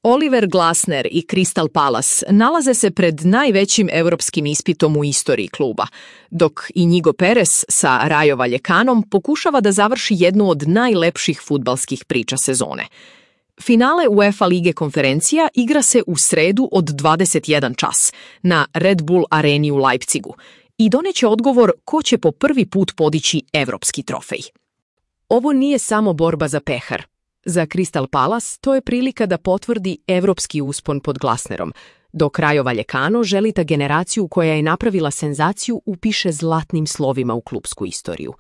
Oliver Glasner i Crystal Palace nalaze se pred najvećim europskim ispitom u istoriji kluba, dok Inigo Perez sa Rayo Valjecanom pokušava da završi jednu od najlepših fudbalskih priča sezone. Finale UEFA Lige konferencija igra se u sredu od 21 čas na Red Bull areni u Leipzigu i doneće odgovor ko će po prvi put podići evropski trofej. Ovo nije samo borba za pehar. Za Crystal Palace to je prilika da potvrdi evropski uspon pod Glasnerom, dok Rayo Vallecano želi da generaciju koja je napravila senzaciju upiše zlatnim slovima u klupsku istoriju.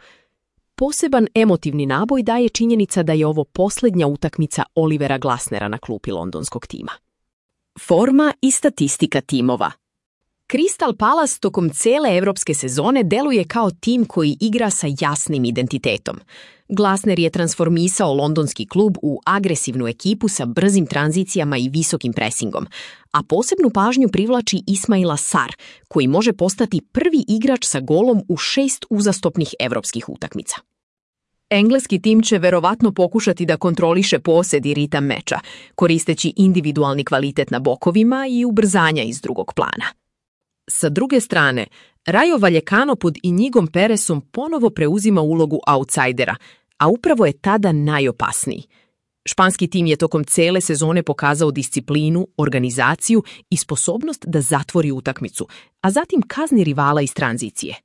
Poseban emotivni naboj daje činjenica da je ovo posljednja utakmica Olivera Glasnera na klupi londonskog tima. Forma i statistika timova. Crystal Palace tokom cele evropske sezone deluje kao tim koji igra sa jasnim identitetom. Glasner je transformisao londonski klub u agresivnu ekipu sa brzim tranzicijama i visokim presingom, a posebnu pažnju privlači Ismaila Sarr, koji može postati prvi igrač sa golom u 6 uzastopnih evropskih utakmica. Engleski tim će verovatno pokušati da kontroliše posed i ritam meča, koristeći individualni kvalitet na bokovima i ubrzanja iz drugog plana. Sa druge strane, Rayo Vallecano pod Inigom Perezom ponovo preuzima ulogu outsidera, a upravo je tada najopasniji. Španski tim je tokom cele sezone pokazao disciplinu, organizaciju i sposobnost da zatvori utakmicu, a zatim kazni rivala iz tranzicije.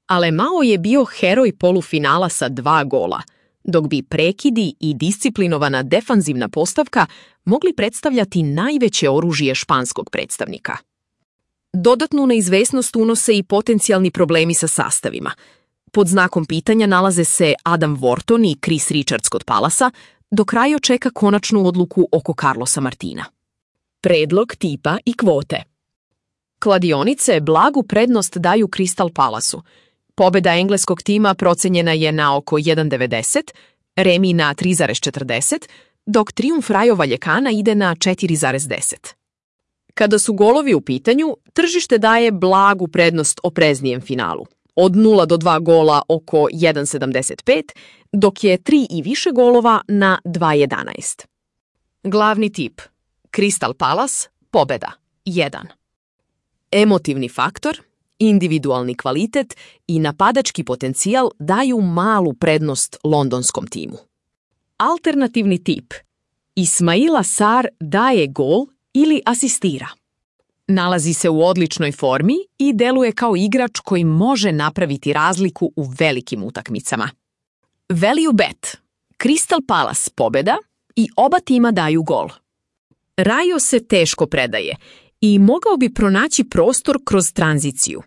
Alemao je bio heroj polufinala sa 2 gola, dok bi prekidi i disciplinovana defanzivna postavka mogli predstavljati najveće oružje španskog predstavnika. Dodatnu neizvesnost unose i potencijalni problemi sa sastavima. Pod znakom pitanja nalaze se Adam Wharton i Chris Richards kod Palasa, dok Rayo čeka konačnu odluku oko Carlosa Martina. Predlog tipa i kvote. Kladionice blagu prednost daju Crystal Palaceu. Pobeda engleskog tima procenjena je na oko 1,90, remi na 3,40, dok trijumf Rayo Vallecana ide na 4,10. Kada su golovi u pitanju, tržište daje blagu prednost opreznijem finalu. Od 0 do 2 gola oko 1,75, dok je 3 i više golova na 2,11. Glavni tip. Crystal Palace, pobeda, 1. Emotivni faktor, individualni kvalitet i napadački potencijal daju malu prednost londonskom timu. Alternativni tip. Ismaila Sarr daje gol ili asistira. Nalazi se u odličnoj formi i deluje kao igrač koji može napraviti razliku u velikim utakmicama. Value bet. Crystal Palace pobeda i oba tima daju gol. Rayo se teško predaje i mogao bi pronaći prostor kroz tranziciju.